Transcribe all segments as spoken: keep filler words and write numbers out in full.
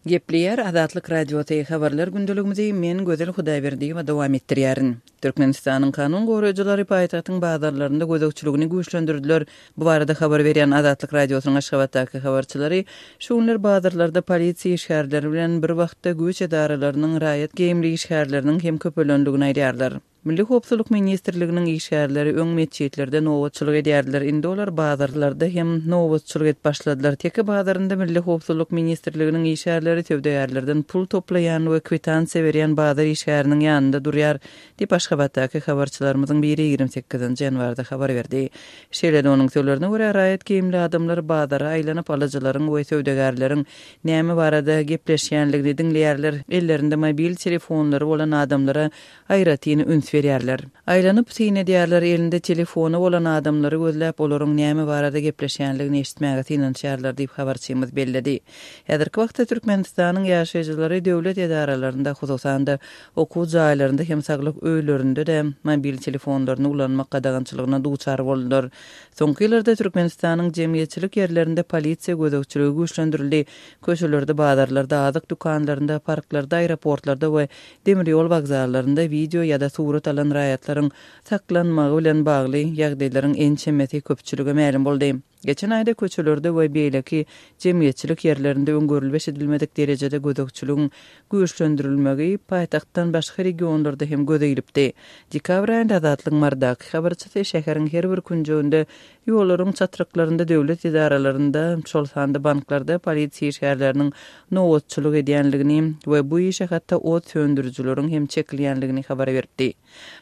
Gepleýär Azatlyk Radiosy habarlar gündeligimizi men Gözel Hudaýberdiýewa dowam etdirýärin. Türkmenistanyň kanun goraýjylary paýtagtyň bazarlarynda gözegçiligini güýçlendirdiler. Bu barada habar berýän Azatlyk Radiosynyň Aşgabatdaky habarçylary şu günler bazarlarda polisiýa işgärleri bilen bir wagtda güýç edaralarynyň raýat geýimli işgärleriniň hem köpelendigini aýdýarlar. Milli Howpsuzlyk ministrliginiň işgärleri öň metjitlerde nobatçylyk edýärdiler. Indi olar bazarlarda hem nobatçylyk edip başladylar. Teke bazarynda Milli Howpsuzlyk ministrliginiň işgärleri söwdagärlerden pul toplaýan we kwitansiýa berýän bazar işgäriniň ýanynda durýar diýip Aşgabatdaky habarçylarymyzyň biri ýigrimi sekizinji ýanwarda habar berdi. Şeýle-de onuň sözlerine görä raýat geýimli adamlar bazara aýlanyp alyjylaryň we söwdagärleriň näme barada gepleşýänligini diňleýärler. Ellerinde mobil telefonlary bolan adamlara aýratyn üns berýärler. Aýlanyp syn edýärler, elinde telefony bolan adamlary gözläp, olaryň näme barada gepleşýänligini eşitmäge synanyşýarlar diýip habarçymyz belledi. Häzirki wagtda Türkmenistanyň ýaşaýjylary döwlet edaralarynda, hususan-da okuw jaýlarynda hem saglyk öýlerinde-de mobil telefonlaryny ulanmak gadagançylygyna duçar boldular. Soňky ýyllarda Türkmenistanyň jemgyýetçilik ýerlerinde polisiýa gözegçiligi güýçlendirildi. Köçelerde, bazarlarda, azyk dükanlarynda, parklarda, aeroportlarda we demir ýol wokzallarynda wideo ýa-da surat alan raýatlaryň saklanmagy bilen bagly ýagdaýlaryň ençemesi köpçülige mälim boldy. Geçen aýda köçelerde we beýleki jemgyýetçilik ýerlerinde öňgörülip eşidilmedik derejede gözegçiligiň güýçlendirilmegi paýtagtdan başga regionlarda hem göze ilipdi. Dekabr aýynda Azatlygyň Marydaky habarçysy şäheriň her bir künjeginde ýollaryň çatryklarynda döwlet edaralarynda, şol sanda banklarda polisiýa işgärleriniň nobatçylyk edýänligini we bu işe hatda ot söndürijileriň hem çekilýänligini habar beripdi.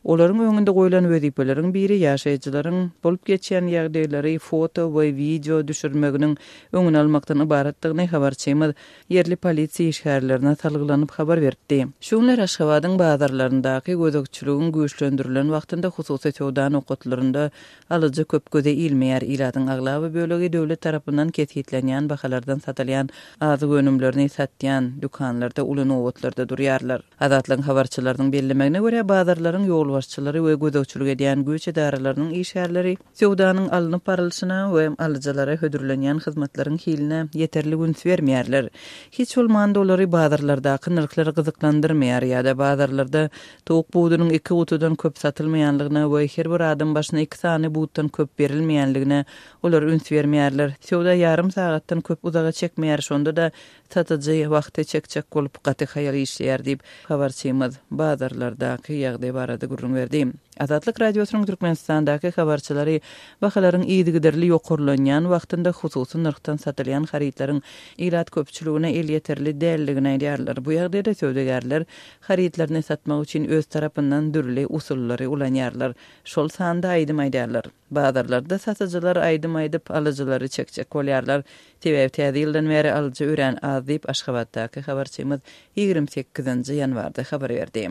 Olaryň öňünde goýlan wezipeleriň biri ýaşaýjylaryň bolup geçýän ýagdaýlary foto we wideo düşürmeginiň öňüni almakdan ybaratdygyny habarçymyz ýerli polisiýa işgärlerine salgylanyp habar beripdi. Şu günler Aşgabadyň bazarlaryndaky gözegçiligiň güýçlendirilen wagtynda hususy söwda nokatlarynda alyjy köp göze ilmeýär. Ilatyň aglaba bölegi döwlet tarapyndan kesgitlenýän bahalardan satylýan azyk önümlerini satýan dükanlarda uly nobatlarda durýarlar. Azatlygyň habarçylarynyň bellemegine görä bazarlaryň ýolbaşçylary we gözegçilik edýän güýç edaralarynyň işgärleri söwdanyň alnyp barylşyna we alyjylara hödürlenýän hyzmatlaryň hiline ýeterli üns bermeýärler. Hiç bolmanda olary bazarlardaky nyrhlar gyzyklandyrmaýar ýa-da bazarlarda towuk budunyň iki gutudan köp satylmaýanlygyna we her bir adam başyna iki sany butdan köp berilmeýänligine olar üns bermeýärler. Söwda ýarym sagatdan köp uzaga çekmeýär, şonda da satyjy wagty çekjek bolup gaty haýal işleýär diýip habarçymyz bazarlardaky ýagdaý barada gürrüň berdi. Azatlyk Radiosynyň Türkmenistandaky habarçylary bahalaryň yzygiderli ýokarlanýan wagtynda hususy nyrhdan satylýan harytlaryň ilat köpçüligine elýeterli däldigini aýdýarlar. Bu ýagdaýda söwdagärler harytlaryny satmak üçin öz tarapyndan dürli usullary ulanýarlar. Şol sanda aýdym aýdýarlar. Bazarlarda satyjylar aýdym aýdyp alyjylary çekjek bolýarlar. Sebäbi täze ýyldan bäri alyjy örän az diýip Aşgabatdaky habarçymyz ýigrimi sekizinji ýanwarda habar berdi.